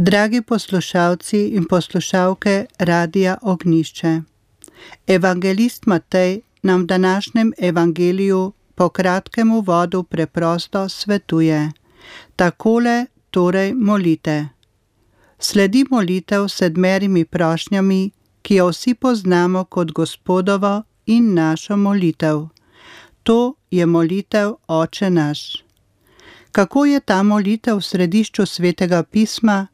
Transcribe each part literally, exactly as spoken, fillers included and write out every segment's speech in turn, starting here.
Dragi poslušalci in poslušalke Radia Ognjišče, evangelist Matej nam v današnjem evangeliju po kratkem uvodu preprosto svetuje: takole torej molite. Sledi molitev s sedmerimi prošnjami, ki jo vsi poznamo kot Gospodovo in našo molitev. To je molitev Oče naš. Kako je ta molitev v središču Svetega pisma,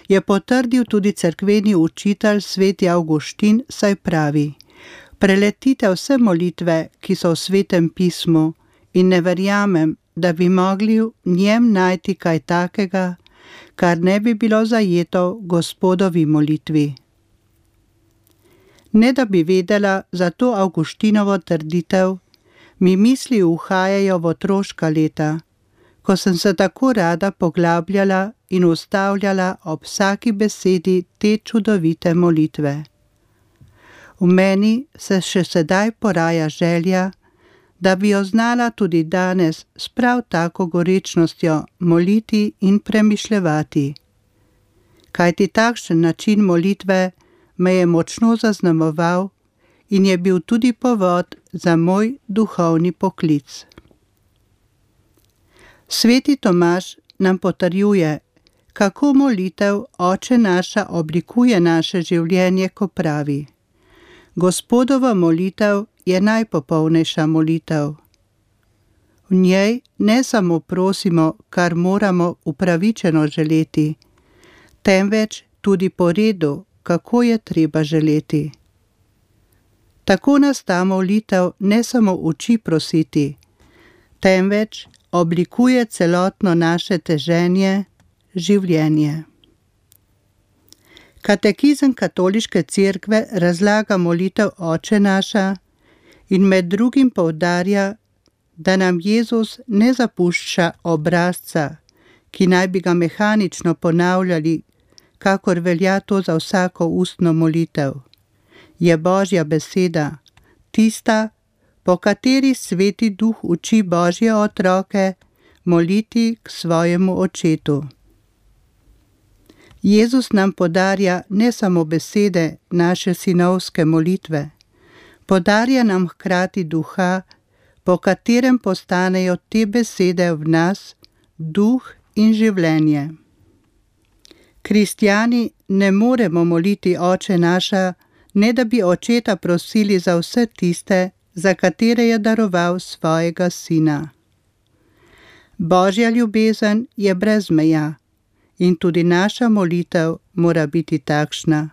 je potrdil tudi cerkveni učitelj sveti Avguštin, saj pravi: preletite vse molitve, ki so v Svetem pismu, in ne verjamem, da bi mogli v njem najti kaj takega, kar ne bi bilo zajeto v Gospodovi molitvi. Ne da bi vedela za to Avguštinovo trditev, mi misli uhajajo v otroška leta, ko sem se tako rada poglabljala in ustavljala ob vsaki besedi te čudovite molitve. V meni se še sedaj poraja želja, da bi jo znala tudi danes s prav tako gorečnostjo moliti in premišljevati. Kajti takšen način molitve me je močno zaznamoval in je bil tudi povod za moj duhovni poklic. Sveti Tomaž nam potrjuje, kako molitev Oče naša oblikuje naše življenje, ko pravi: Gospodova molitev je najpopolnejša molitev. V njej ne samo prosimo, kar moramo upravičeno želeti, temveč tudi po redu, kako je treba želeti. Tako nas ta molitev ne samo uči prositi, temveč oblikuje celotno naše teženje, življenje. Katekizem Katoliške cerkve razlaga molitev Oče naša in med drugim poudarja, da nam Jezus ne zapušča obrazca, ki naj bi ga mehanično ponavljali, kakor velja to za vsako ustno molitev. Je Božja beseda, tista, po kateri Sveti Duh uči Božje otroke moliti k svojemu Očetu. Jezus nam podarja ne samo besede naše sinovske molitve, podarja nam hkrati duha, po katerem postanejo te besede v nas duh in življenje. Kristjani ne moremo moliti Oče naša, ne da bi Očeta prosili za vse tiste, za katere je daroval svojega Sina. Božja ljubezen je brez meja in tudi naša molitev mora biti takšna.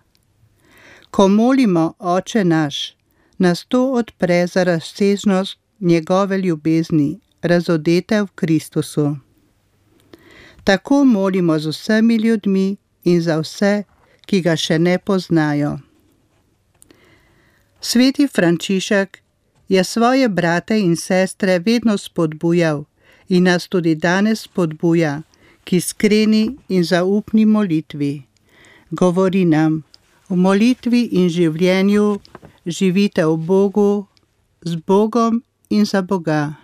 Ko molimo Oče naš, nas to odpre za razsežnost njegove ljubezni, razodete v Kristusu. Tako molimo z vsemi ljudmi in za vse, ki ga še ne poznajo. Sveti Frančišek je svoje brate in sestre vedno spodbujal in nas tudi danes spodbuja k iskreni in zaupni molitvi. Govori nam: v molitvi in življenju živite v Bogu, z Bogom in za Boga.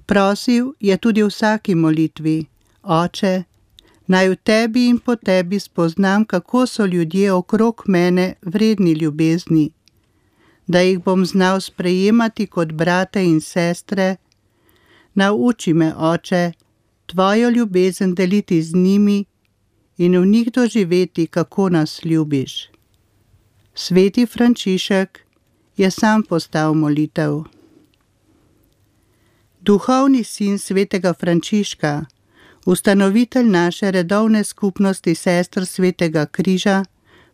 Prosil je tudi v vsaki molitvi: Oče, naj v tebi in po tebi spoznam, kako so ljudje okrog mene vredni ljubezni, da jih bom znal sprejemati kot brate in sestre. Nauči me, Oče, tvojo ljubezen deliti z njimi in v njih doživeti, kako nas ljubiš. Sveti Frančišek je sam postal molitev. Duhovni sin svetega Frančiška, ustanovitelj naše redovne skupnosti sester Svetega križa,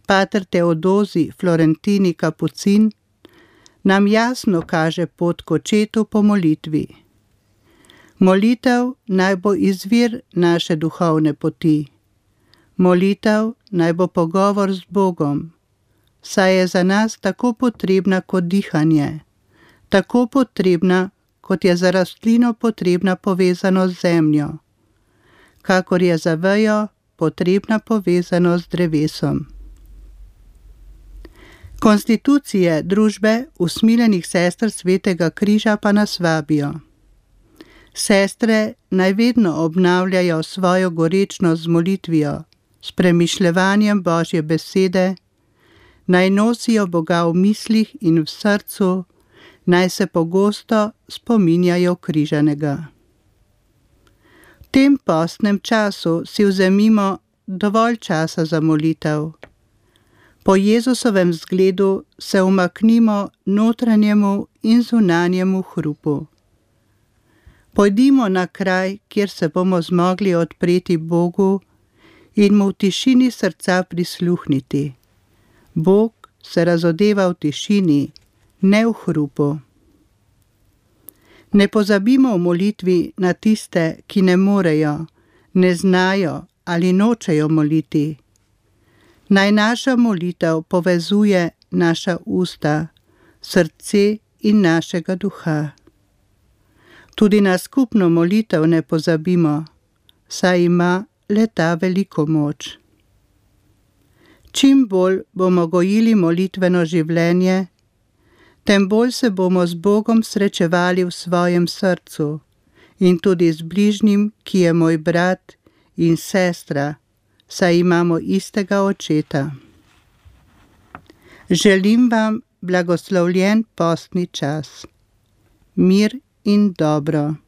pater Teodozi Florentini Kapucin, nam jasno kaže pot k Očetu po molitvi. Molitev naj bo izvir naše duhovne poti. Molitev naj bo pogovor z Bogom, saj je za nas tako potrebna kot dihanje, tako potrebna, kot je za rastlino potrebna povezanost z zemljo, kakor je za vejo potrebna povezanost z drevesom. Konstitucije družbe usmiljenih sester Svetega križa pa nas vabijo. Sestre naj vedno obnavljajo svojo gorečnost z molitvijo, s premišljevanjem Božje besede, naj nosijo Boga v mislih in v srcu, naj se pogosto spominjajo križanega. V tem postnem času si vzemimo dovolj časa za molitev. Po Jezusovem zgledu se umaknimo notranjemu in zunanjemu hrupu. Pojdimo na kraj, kjer se bomo zmogli odpreti Bogu in mu v tišini srca prisluhniti. Bog se razodeva v tišini, ne v hrupu. Ne pozabimo v molitvi na tiste, ki ne morejo, ne znajo ali nočejo moliti. Naj naša molitev povezuje naša usta, srce in našega duha. Tudi na skupno molitev ne pozabimo, saj ima le-ta veliko moč. Čim bolj bomo gojili molitveno življenje, tem bolj se bomo z Bogom srečevali v svojem srcu in tudi z bližnjim, ki je moj brat in sestra, saj imamo istega očeta. Želim vam blagoslovljen postni čas. Mir in dobro.